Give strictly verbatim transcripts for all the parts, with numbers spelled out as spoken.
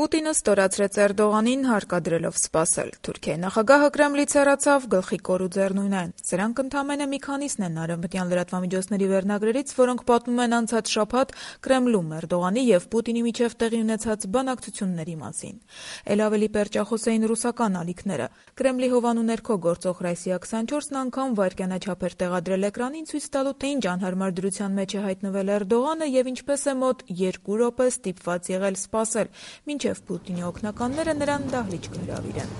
Պուտինը ստորացրեց Էրդողանին հարկադրելով սպասել։ Թուրքիայի նախագահը Կրեմլից հեռացավ, գլխի կոր ու ձեռնունայն են։ Սրանք ընդամենը մի քանիսն են արևմտյան լրատվամիջոցների վերնագրերից, որոնք պատմում են անցած շաբաթ Կրեմլում Էրդողանի եւ Պուտինի միջև տեղի ունեցած բանակցությունների մասին։ Էլ ավելի պերճախոս էին ռուսական ալիքները։ Կրեմլի հովանու ներքո գործող Ռոսիա քսանչորսն անգամ վայրկյանաչափ էր տեղադրել էկրանին, ցույց տալու, թե ինչ անհարմար դրության մեջ է հայտնվել Էրդողանը եւ ինչպես է մոտ երկու րոպե ստիպված եղել սպասել, մինչև Պուտինի օգնականները նրան դահլիճ կհրավիրեն։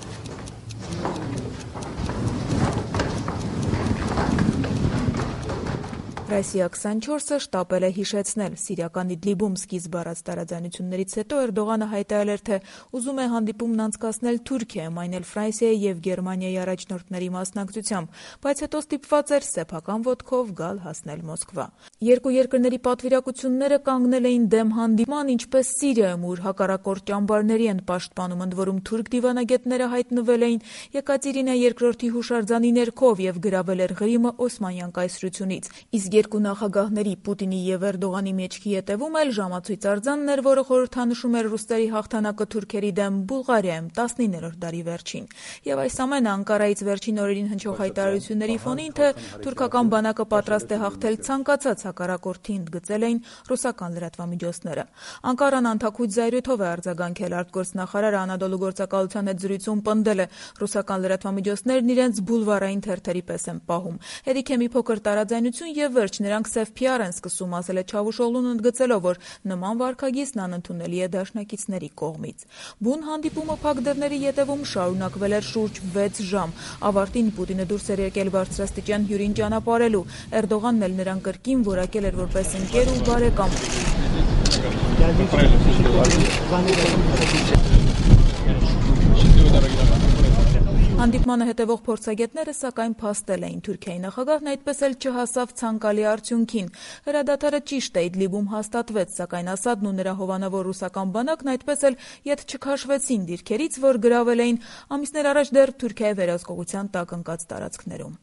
Ռոսիա քսանչորսը շտապել է հիշեցնել սիրիական Իդլիբում սկիզբ առած տարաձայնություններից հետո Էրդողանը հայտարարել էր, թե ուզում է հանդիպումն անցկացնել Թուրքիայում, այն էլ Ֆրանսիայի եւ Գերմանիայի առաջնորդների մասնակցությամբ, բայց հետո ստիպված էր սեփական ոտքով գալ հասնել Մոսկվա։ Երկու երկրների պատվիրակությունները կանգնել էին դեմ հանդիպման, ինչպես Սիրիայում, ուր հակառակորդ ճամբարների են պաշտպանում, ընդ որում թուրք դիվանագետները հայտնվել էին Եկատերինա երկրորդի հուշարձանի ներքով եւ գրավել էր Ղրիմը Օսմանյան կայսրությունից։ Իսկ երկու նախագահների Պուտինի եւ Էրդողանի մեջքի ետևում էլ ժամացույց արձանն էր, որը խորհրդանշում էր ռուսների հաղթանակը թուրքերի դեմ Բուլղարիայում տասնիններորդ դարի վերջին։ Եվ այս ամենը Անկարայից վերջին օրերին հնչող հայտարարությունների ֆոնին, թե թուրքական բանակը պատրաստ է հաղթել ցանկացած հակառակորդի, ընդգծել էին ռուսական լրատվամիջոցները։ Անկարան անթաքույց զայրույթով է արձագանքել, արտգործնախարարը Անադոլու գործակալության հետ զրույցում պնդել է, ռուսական լրատվամիջոցներն իրենց բուլվարային թերթերի պես են պահում։ Հերիք է մի փոքր տարաձայնություն եւ վերջ, նրանք սև փի ար են սկսում, ասել է Չավուշօղլուն, ընդգծելով, որ նման վարքագիծն անընդունելի է դաշնակիցների կողմից։ Բուն հանդիպումը փակ դռների ետևում շարունակվել էր շուրջ վեց ժամ։ Ավարտին Պուտինը դուրս էր եկել բարձրաստիճան հյուրին ճանապարհելու։ Էրդողանն էլ նրան կրկին որակել էր որպես ընկեր ու բարեկամ։ Հանդիպմանը հետևող փորձագետները սակայն փաստել էին, Թուրքիայի նախագահն այդպես էլ չհասավ ցանկալի արդյունքին։ Հրադադարը ճիշտ է Իդլիբում հաստատվեց, սակայն Ասադն ու նրա հովանավոր ռուսական բանակն այդպես էլ ետ չքաշվեցին դիրքերից, որ գրավել էին ամիսներ առաջ դեռ Թուրքիայի վերահսկողության տակ ընկած տարածքներում։